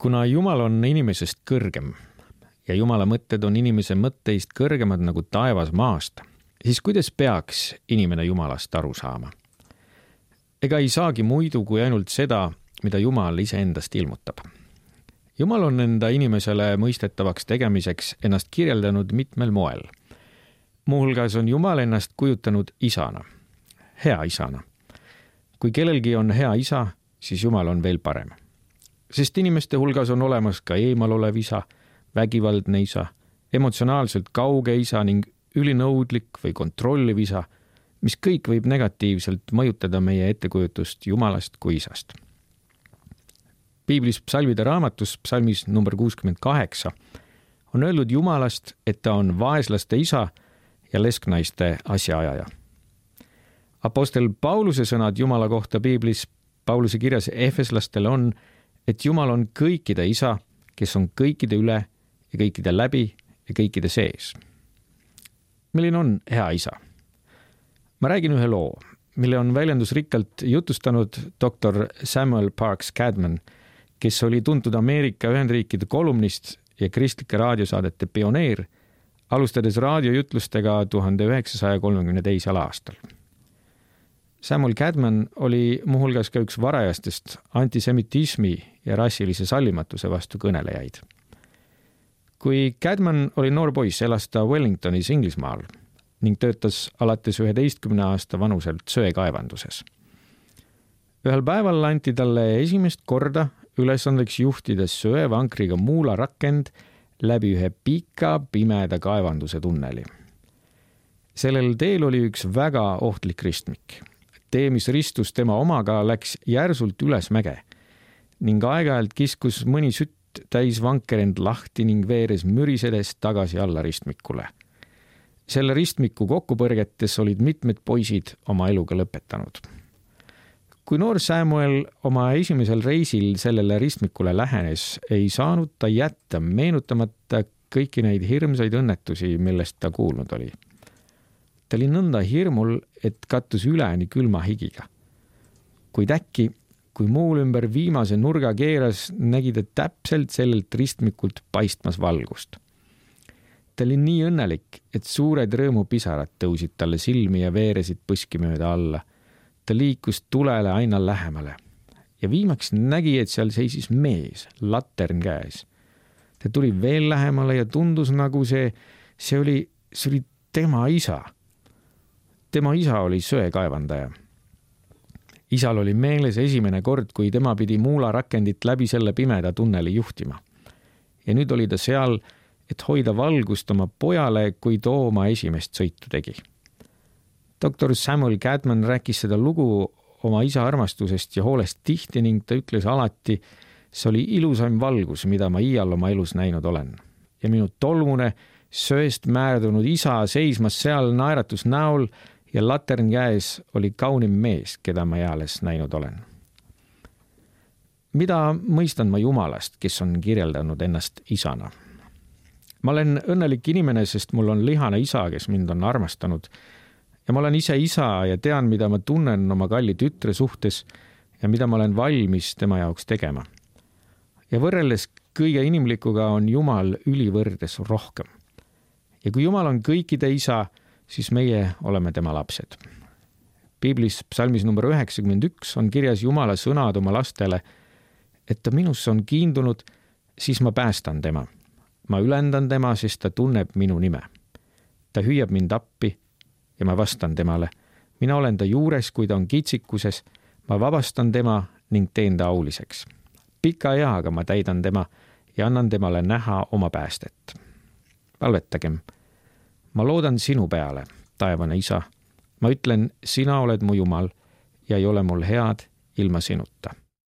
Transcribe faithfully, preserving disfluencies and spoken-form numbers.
Kuna Jumal on inimesest kõrgem ja Jumala mõtted on inimese mõtteist kõrgemad nagu taevas maast, siis kuidas peaks inimene Jumalast aru saama? Ega ei saagi muidu kui ainult seda, mida Jumal iseendast ilmutab. Jumal on enda inimesele mõistetavaks tegemiseks ennast kirjeldanud mitmel moel. Muuhulgas on Jumal ennast kujutanud isana, hea isana. Kui kellelgi on hea isa, siis Jumal on veel parem. Sest inimeste hulgas on olemas ka eemal olev isa, vägivaldne isa, emotsionaalselt kauge isa ning ülinõudlik või kontrolliv isa, mis kõik võib negatiivselt mõjutada meie ettekujutust Jumalast kui isast. Piiblis psalmide raamatus psalmis number kuuskümmend kaheksa on öeldud Jumalast, et ta on vaeslaste isa ja lesknaiste asjaajaja. Apostel Pauluse sõnad Jumala kohta Piiblis Pauluse kirjas Efeslastele on, et Jumal on kõikide isa, kes on kõikide üle ja kõikide läbi ja kõikide sees. Milline on hea isa? Ma räägin ühe loo, mille on väljendusrikkalt jutustanud doktor Samuel Parks Cadman, kes oli tuntud Ameerika Ühendriikide kolumnist ja kristlike raadiosaadete pioneer, alustades raadiojutlustega tuhande üheksasaja kolmekümne teisel aastal. Samuel Cadman oli muuhulgas ka üks varajastest antisemitismi ja rassilise sallimatuse vastu kõnelejaid. Kui Cadman oli noor poiss, elas ta Wellingtonis Inglismaal ning töötas alates üheteistkümne aasta vanuselt söekaevanduses. Ühel päeval anti talle esimest korda ülesandeks juhtida söevankriga muularakend läbi ühe pika pimeda kaevanduse tunneli. Sellel teel oli üks väga ohtlik ristmik. Tee, mis ristus tema omaga, läks järsult üles mäge ning aeg-ajalt kiskus mõni sütt täis vanker end lahti ning veeres mürisedes tagasi alla ristmikule. Selle ristmiku kokkupõrgetes olid mitmed poisid oma eluga lõpetanud. Kui noor Samuel oma esimesel reisil sellele ristmikule lähenes, ei saanud ta jätta meenutamata kõiki neid hirmsaid õnnetusi, millest ta kuulnud oli. Ta oli nõnda hirmul, et kattus üleni külma higiga. Kuid äkki, kui muul ümber viimase nurga keeras, nägi ta täpselt sellelt ristmikult paistmas valgust. Ta oli nii õnnelik, et suured rõõmupisarad tõusid talle silmi ja veeresid põski mööda alla. Ta liikus tulele aina lähemale ja viimaks nägi, et seal seisis mees, latern käes. Ta tuli veel lähemale ja tundus nagu see, see oli, see oli tema isa. Tema isa oli söekaevandaja. Isal oli meeles esimene kord, kui tema pidi muularakendit läbi selle pimeda tunneli juhtima. Ja nüüd oli ta seal, et hoida valgust oma pojale, kui too oma esimest sõitu tegi. doktor Samuel Cadman rääkis seda lugu oma isa armastusest ja hoolest tihti ning ta ütles alati, see oli ilusaim valgus, mida ma iial oma elus näinud olen. Ja minu tolmune, sööst määrdunud isa seismas seal naeratus näol ja latern käes oli kaunim mees, keda ma eales näinud olen. Mida mõistan ma Jumalast, kes on kirjeldanud ennast isana? Ma olen õnnelik inimene, sest mul on lihane isa, kes mind on armastanud ja ma olen ise isa ja tean, mida ma tunnen oma kalli tütre suhtes ja mida ma olen valmis tema jaoks tegema. Ja võrreldes kõige inimlikuga on Jumal ülivõrdes rohkem. Ja kui Jumal on kõikide isa, siis meie oleme tema lapsed. Piiblis psalmis number üheksakümmend üks on kirjas Jumala sõnad oma lastele, et ta minusse on kiindunud, siis ma päästan tema. Ma ülendan tema, sest ta tunneb minu nime. Ta hüüab mind appi ja ma vastan temale. Mina olen ta juures, kui ta on kitsikuses, ma vabastan tema ning teen ta auliseks. Pika eaga ma täidan tema ja annan temale näha oma päästet. Palvetagem. Ma loodan sinu peale, taevane isa. Ma ütlen, sina oled mu Jumal ja ei ole mul head ilma sinuta.